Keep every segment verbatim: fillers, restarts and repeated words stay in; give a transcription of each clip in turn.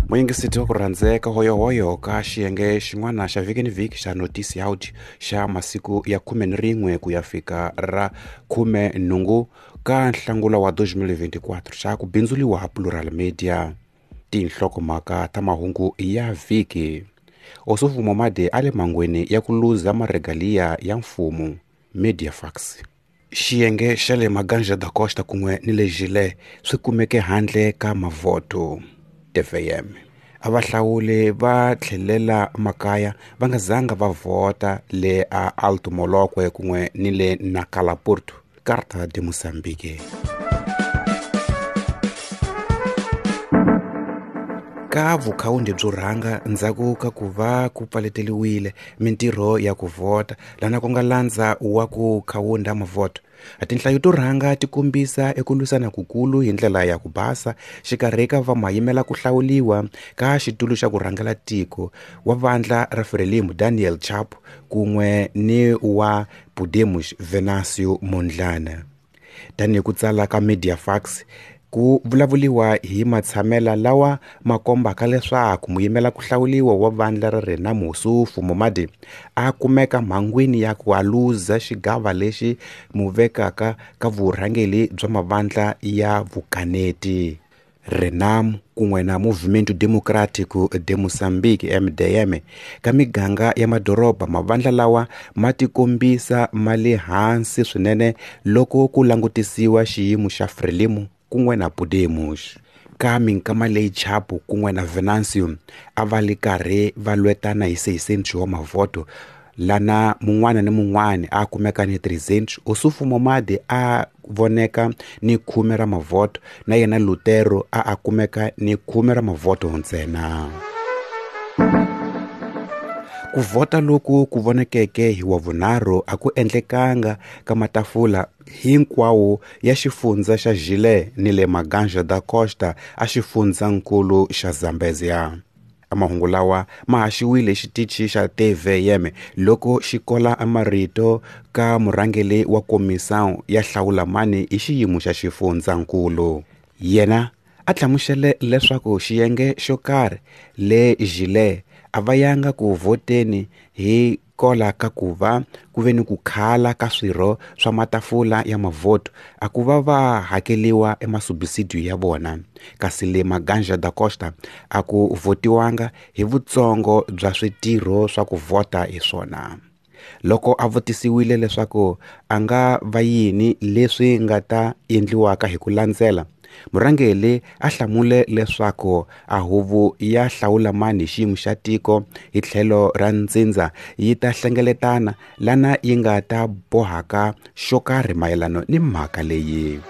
Muyingiseti wa ku rhandzeka hoyohoyo ka xiyenge xin'wana xa vhiki ni vhiki xa Notice Out xa masiku ya khume ni rin'we ku ya fika ra khume nhungu ka nhlangula wa twenty twenty-four xa ku bindzuriwa Plural Media. Tinhlokomhaka ta mahungu ya vhiki. Ossufo Momade a le mangweni ya ku luza maregalia ya mfumo. Mediafax. Xiyenge xa le Maganja da Costa kun'we ni le Gile swi kumeke handle ka mavhoto. T V M. A vahlawuli va tlhelela makaya va nga zanga va vhota le a Alto Molokwe kun'we ni le Nacala Porto. Carta de Moçambique. Ka vukhawundi byo rhanga ndzhaku ka ku va ku pfaleteliwile mintirho ya ku vhota lana ku nga landza wa ku khawunda mavhoto. Tinhlayo to rhanga ti kombisa eku lwisana kukulu hi ndlela ya ku basa xikarhi ka va mayimela ku hlawuliwa ka xitulu xa ku rhangela tiko wa vandla ra Frelimo Daniel Chapo kun'we ni wa Podemos Venancio Mondlane. Tanihi ku tsala ka Mediafax ku vulavuliwa hi matshamela lawa ma kombaka leswaku muyimela ku hlawuliwa wa vandla ra Renamo Ossufo Momade a kumeka mhangwini ya ku aluza xigava lexi muvekaka ka vurhangeli bya mavandla ya vukaneti. Renamo kun'we na Movimento Democrático de Moçambique M D M ka miganga ya madoroba mavandla lawa ma tikombisa ma le hansi swinene loko ku langutisiwa xiyimo xa Frelimo kun'we na Podemos. Ka minkama leyi Chapo kun'we na Venancio a va li karhi va lwetana hi seisenthu wa mavhoto lana mun'wana ni mun'wana a kumeka ni three Ossufo Momade a voneka ni khume ra mavhoto na yena Lutero a a kumeka ni khume ra mavhoto ntsena. Ku vhota loku ku vonekeke hi wa vunharhu a ku endlekanga ka matafula hinkwawo ya xifundza xa Gile ni le Maganja da Costa a xifundzankulu xa Zambezia. Mahungu lawa ma haxiwile xitichi xa T V M loko xi kola marito ka murhangeli wa komissão ya hlawula mani hi xiyimo xa xifundzankulu. Yena a hlamusele leswaku xiyenge xo karhi le Gile a va yanga ku vhoteni hi kola ka ku va ku ve ni ku khala ka swirho swa matafula ya mavhoto a ku va va hakeliwa emasubisidiyo ya vona. Kasi le Maganja da Costa a ku vhotiwanga hi vutsongo bya switirho swa ku vhota hi swona. Loko a vutisiwile leswaku a nga va yini leswi nga ta endliwaka hi ku landzela, murhangeli a hlamule leswaku a huvo ya hlawula mani hi xiyimo xa tiko hi tlhelo ra ntsindza yi ta hlengeletana lana yi nga ta bohaka xo karhi mayelano ni mhaka leyi.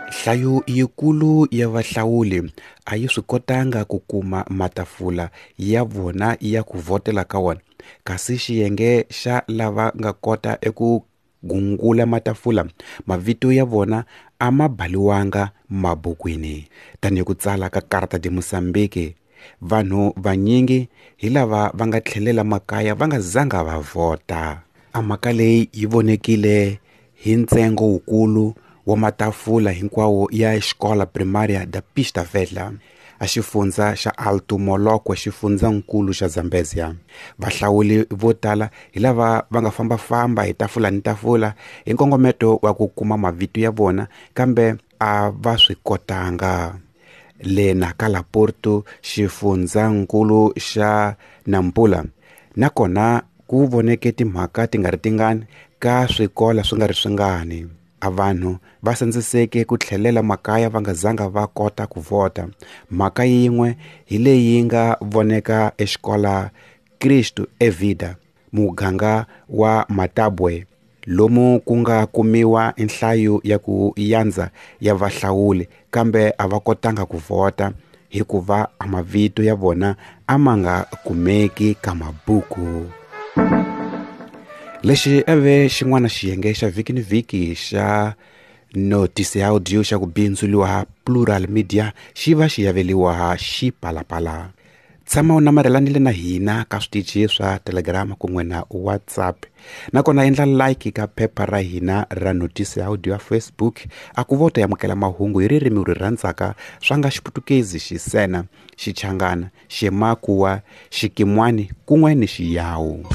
Nhlayo yikulu ya vahlawuli a yi swi kotanga ku kuma matafula ya vona ya ku vhotela ka wona, kasi xiyenge xa lava nga kota eku gungula matafula mavito ya vona a ma baliwanga mabukwini. Tanihi ku tsala ka Carta de Moçambique, vanhu vanyingi hi lava va nga tlhelela makaya va nga zanga va vhota. A mhaka leyi yi vonekile hi ntsengo wukulu wa matafula hinkwawo ya Escola Primária da Pista Velha a xifundza xa Alto Molokwe xifundzankulu xa Zambezia. Vahlawuli vo tala hi lava va nga fambafamba hi tafula ni tafula hi nkongometo wa ku kuma mavito ya vona kambe a va swi kotanga. Le Nacala Porto xifundzankulu xa Nampula nakona ku voneke timhaka ti nga ri tingani ka swikola swi nga ri swingani. A vanhu va sandziseke ku tlhelela makaya va nga zanga va kota ku vhota. Mhaka yin'we hi leyi nga voneka exikola Cristo e Vida muganga wa Matabwe lomu ku nga kumiwa nhlayo ya ku yandza ya vahlawuli kambe a va kotanga ku vhota hikuva a mavito ya vona a ma nga kumeki ka mabuku. Lexi eve xin'wana xiyenge xa vhiki ni vhiki xa Notice Audio xa ku bindzuriwa Plural Media xi va xi yaveliwa Xipalapala. Tshama u namarhelanile na hina ka switichi swa Telegram kun'we na WhatsApp. Nakona endla like ka phepha ra hina ra notice ya audio ya Facebook a ku vota amukela mahungu hi ririmi ri rhandzaka swa nga Xiputukezi, Xisena, Xichangana, Ximakuwa, Xikimwani kun'we ni Xiyawu.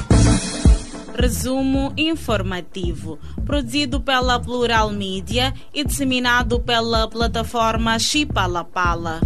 Resumo informativo, produzido pela Plural Mídia e disseminado pela plataforma Xipalapala.